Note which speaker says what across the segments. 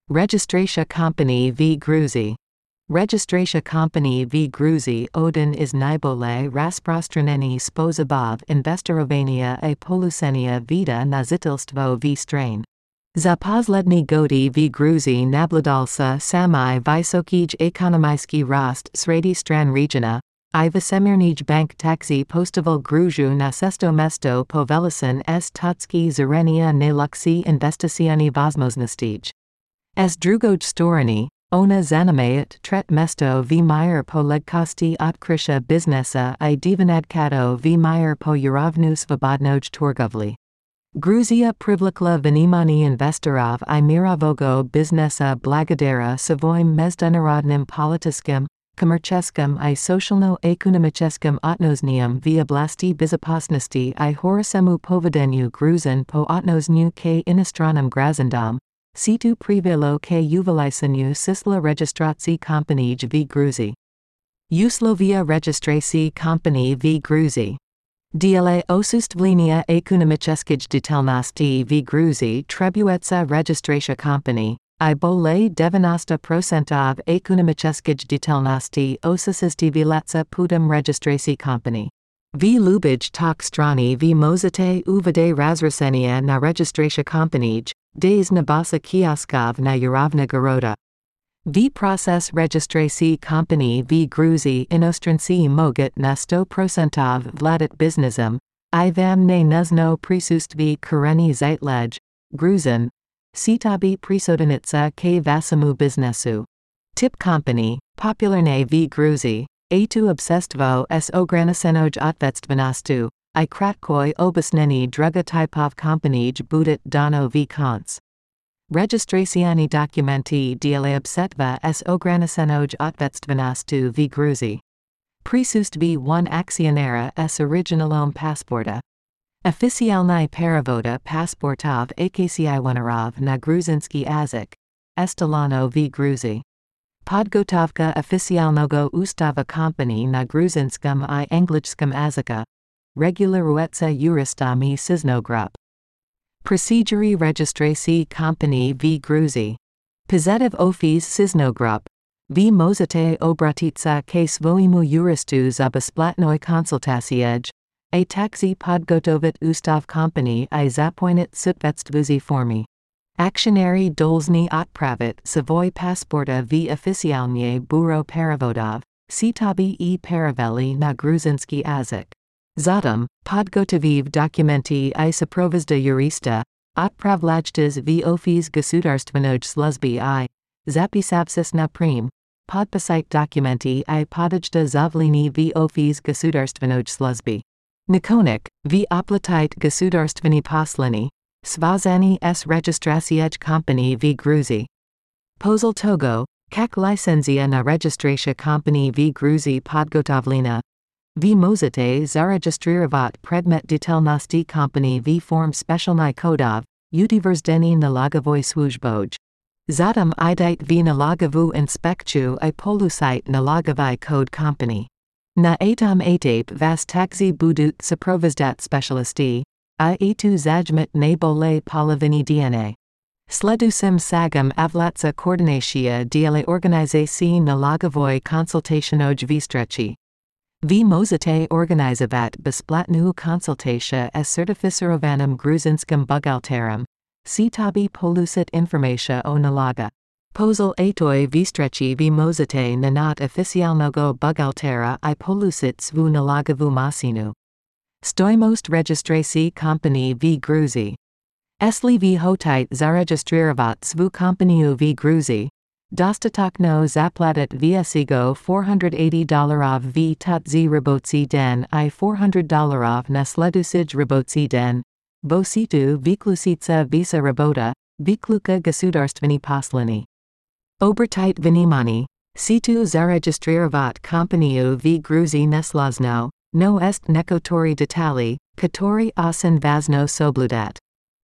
Speaker 1: Registracja Company v Gruzi. Registracja Company v Gruzi Odin is najbolej rozprzestrzeniony sposobów inwestowania a polucenia vida na zitelstwo v strain. Za poslední gody v Gruzji nabladalsa samý vysoký ekonomický rost sredi stran regiona, I Vesemirnij bank taxi postoval Gruziu na sesto mesto povelisin s totsky zarenia najluxi investicioni возможностей. S drugoj storony, ona zanimaet tret mesto v mir po legkosti odkrycia biznesa I divinadkato v mir po urovnu svobodnoj torgovli. Gruzia privlikla vнимание investorov I mirovogo biznesa blagodara svoim международным политическим, коммерческим I socialno-ekonomicznym отношениям v oblasti безопасности I horosemu povedeniu Gruzin po отношению k иностранным гражданам, situ privilo k uveliseniu sisla registracji kompanij v Gruzji. Uslovia registracji kompanij v Gruzji. Dla osustwlenia ekonomicznych detalności w Gruzji trebująca rejestracja kompanii, I bolej 90% ekonomicznych detalności osystwilaca putem rejestracji kompanii. V lubić tak strony v możecie uwade razrusenia na rejestracja kompanij, des na basa kioskov na urovna garoda. V proces rejestracji kompanii v Gruzji inostranci mogat na 100% vladat biznesem, I vam ne nuzno prisustvi kureni zeitlej, Gruzin, sitabi prisodanitsa k vasamu biznesu. Tip kompanii, popularne v Gruzji, a tu obsestvo s ogranicenoj otvetstvenosti, I kratkoj obasneni druga typov kompanij budit dano v konc. Registracioni dokumenti dla obsetva s ogranicenoj otvetstvenosti v Gruzji. Prisustvi one akcionera s originalom pasporta. Oficialny perivoda pasportov akcijonerov na gruzinski jazyk. Estelano v Gruzji. Podgotovka oficialnego ustava kompanii na gruzinskim I angličskim jazyka. Regularuetsa juristami siznogrup. Proceduri rejestracji kompanii v Gruzji. Pozetiv ofis siznogrup. V możecie obratitsa k swojemu juristu za bezplatnoj konsultaciej. A taxi podgotovit ustav kompanii I zapoinit sutvetstvuzi formi. Aktionary dolzny otpravit svoj pasporta v oficialnie bureau perivodov, sitabi I peraveli na gruzinski jazyk. Zatem, podgotoviv dokumenti I saprovizda jurista, otpravlajtas v ofis gasudarstvenoj sluzby I, zapisavsis na prim, podpisite dokumenti I podajta zavlini v ofis gasudarstvenoj sluzby. Nakonik, v oplatite gasudarstveni posleni, svazani s registraciej kompanii v Gruzji. Pozil togo, kak licenzia na registracja kompanii v Gruzji podgotovlina. V możecie zarejestrovat predmet detalnosti kompanii v form specialny kodov, utiverzeni nalogovoj służboj. Zatem idite v nalogovu inspekciju I polusite nalogovai code kompanii. Na atom atape vas taxi budut saprovizdat specialisti, I tu zajmet najbolej polovini DNA. Sledusim sagam avlatsa koordinacja dla organizacji nalogovoj konsultationoj vstrechi. V możecie organizować bezplatnu konsultację s certyficerowanym gruzinskim bugalterem, sitabi polusit informacja o naloga. Pozil atoj vstrechi v możecie nanat oficjalnego bugaltera I polusit svu nalogovu masinu. Stoimost rejestracji kompanii v Gruzji. Esli v hotit zarejestrovat svu kompaniu v Gruzji. Dostatokno zaplatit vsigo $480 v tutzi roboci den I $400 na sleducij roboci den. Bositu viklusica visa robota, vikluka gasudarstveni posleni. Obertit vнимание, situ zarejestrovat kompaniu v Gruzji neslazno, no est nekotori detali, kotori osin vazno sobludat.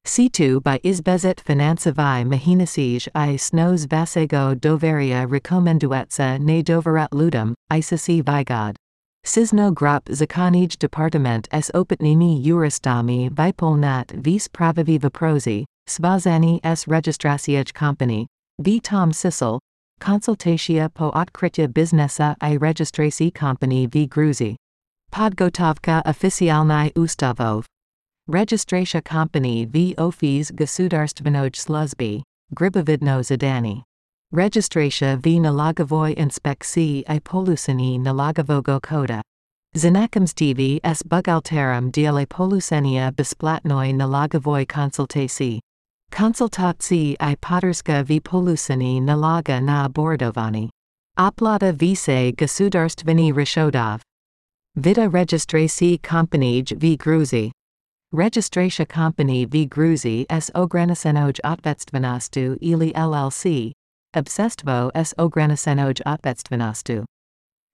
Speaker 1: Situ by izbezet finansovi mahinasij I snos vasego doveria rekomenduetsa ne doverat ludum, isasi vigod. Sizno grup zakonij departament s opatnimi juristami vipolnat vis pravivi viprozi, svazani s registraciej kompanii, V Tom Sissel, Konsultacja po odkrycie biznesa I rejestracji company v Gruzji. Podgotowka oficjalnej ustawów. Rejestracja company v Office Gasudarstwanej Służby, Gribowidno Zadanie. Rejestracja v Nalogowej Inspekcji I Poluceni Nalogowego Koda. Znakomstwie s bugalterem dla polucenia bezpłatnej nalogowej konsultacji. Konsultacji I poderska v poluceni naloga na abordowanie. Opłata wice gasudarstwani raschodów. Vita rejestracji company v Gruzji. Rejestracja company v Gruzji s ograniczonej odpowiedzialnością ili LLC. Obsestwo s ograniczonej odpowiedzialnością.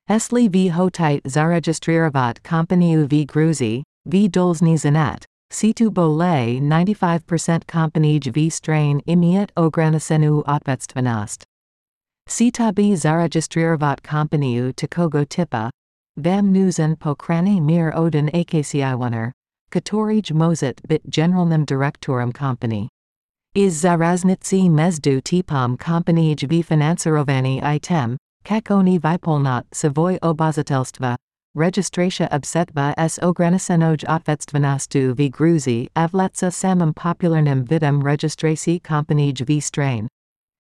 Speaker 1: Esli v hotit zarejestrować company v Gruzji, v dolzny zanat, situ bole 95% company v strain imiet ograniczeniu odpowiedzialność. Sitabi zarejestrować company takogo typa, vam nuzen pokrany mir odin akcijoner, katorij mozit bit generalnym dyrektorem company. Iz zaraznicy mezdu tipom company v finansowani item, Kakoni Vypolnot Savoy Obazatelstva, Rejestracja Obsetva s Ograniczonej Odpowiedzialnością v Gruzji Avlatsa samym popularnym widom rejestracji company v strain.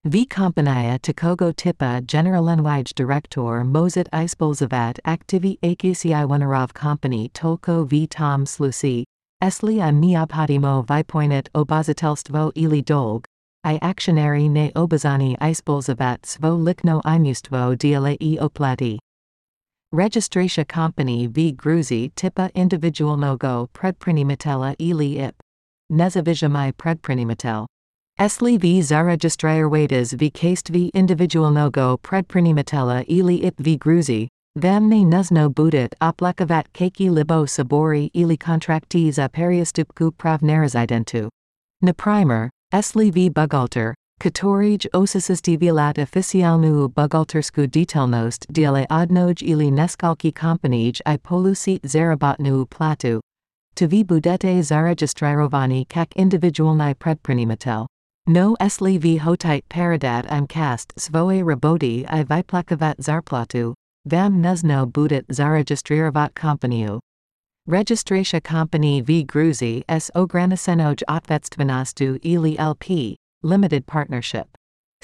Speaker 1: V kompania takogo typa generalnwij dyrektor mozit ispolzovat aktivi akcijonerov company tolko v tom slusi, esli I neobhodimo vypoinit obazatelstwo ili dolg. I aktionary ne obazani ispolzovat svo likno imustwo dla I oplati. Rejestracja company v Gruzji typa individualnego predprinimitela ili ip. Nezavizhamy predprinimatel. Esli v zarejestrowades v kastvi individualnego predprinimitela ili ip v Gruzji, vam ne nuzno budit oplakavat kaki libo sabori ili kontrakti za periostupku pravnerizidentu. Naprimer, Esli v bugalter, katorij osisestivilat oficialnu bugaltersku detailnost dla odnoj ili neskalki kompanij I polusit zarabotnu platu. To v budete zaregistrovani kak individualni predprinimatel. No esli v hotit paradat im cast svoje raboti I vyplakavat zarplatu, vam nuzno budit zaregistrovat kompaniu. Rejestracja company v Gruzji s ograniczonej odpowiedzialnością ili LP, limited partnership.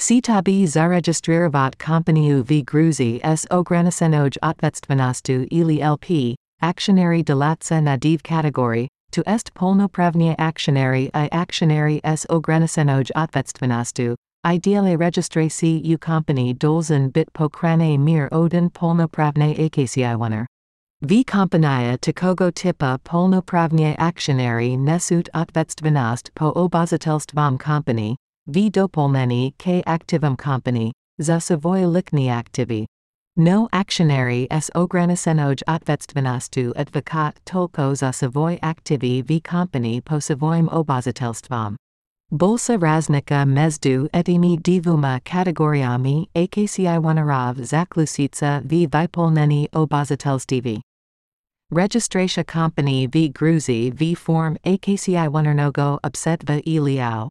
Speaker 1: Sitabi zarejestrować company v Gruzji s ograniczonej odpowiedzialnością ili LP, aktionary dolatca nadiv kategorii, to est polnoprawnie aktionary I aktionary s ograniczonej odpowiedzialnością, ideale rejestracji u company dolzen bit pokrane mir odin polnoprawne akcijoner. V kompania takogo typa polnoprawnie aktionary nesut odpowiedzialność po obazatelstwom company, v dopolneni k aktywom company, za swoje likni aktivi. No aktionary s ograniczonej odpowiedzialnością advokat tolko za swoje aktivi v company po swoim obazatelstwom. Bolsa raznika mezdu etimi dwoma kategoriami akcijonerov zaklusica v vypolneni obazatelství. Rejestracja company v Gruzji v form akcijonernego obsetva iliao.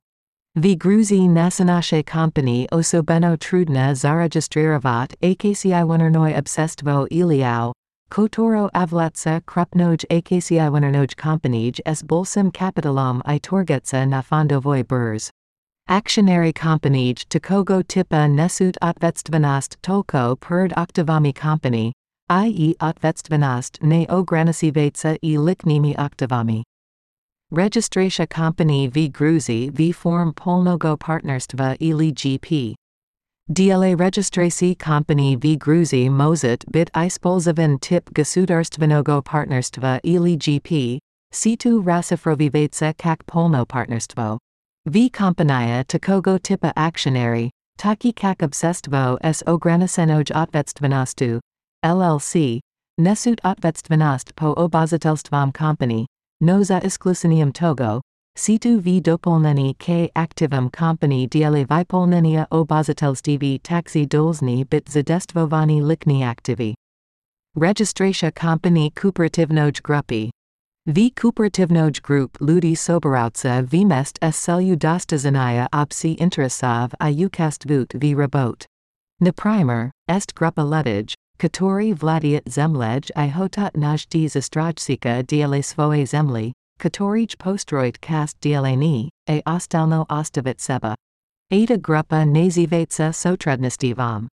Speaker 1: V Gruzji nasze company osobeno trudne zarejestrovat akcijonernoy obsestvo iliao, kotoro avlatsa krupnoj akcijonernog companyj s bolsim kapitalom I torgetsa na fondovoj burz. Aktionary companyj takogo typa nesut odpowiedzialnost tolko perd aktivami company, I.e. odpowiedzialność ne ograniczywaca I liknimi aktywami. Rejestracja company v Gruzji v form polnego partnerstwa ili GP. Dla rejestracji company v Gruzji mozit bit ispolzovan typ gasudarstwanego partnerstwa ili GP, situ rasifrowivaca kak polno partnerstwo. V kompania takogo typa aktionary, taki kak obsestwo s ograniczonej odpowiedzialnością, LLC, nesut odpowiedzialność po obazatelstwom company, no za isklusenium togo, situ v dopolneni k aktywum company dla vypolnenia obazatelství taxi dolzny bit zadestvovani likni aktivi. Rejestracja company kooperativnoj grupy. V kooperativnoj grup ljudi soberouca v mest s celju dostazania opsi interesov I ukast vut v robot. Naprimer, est grupa ludij, katori vladiat zemlej I hotot najdi zastrojcika diele svoje zemli, katorij postrojt kast dieleni, a ostalno ostavit seba. Ada grupa nazivatsa sotrudnistivom.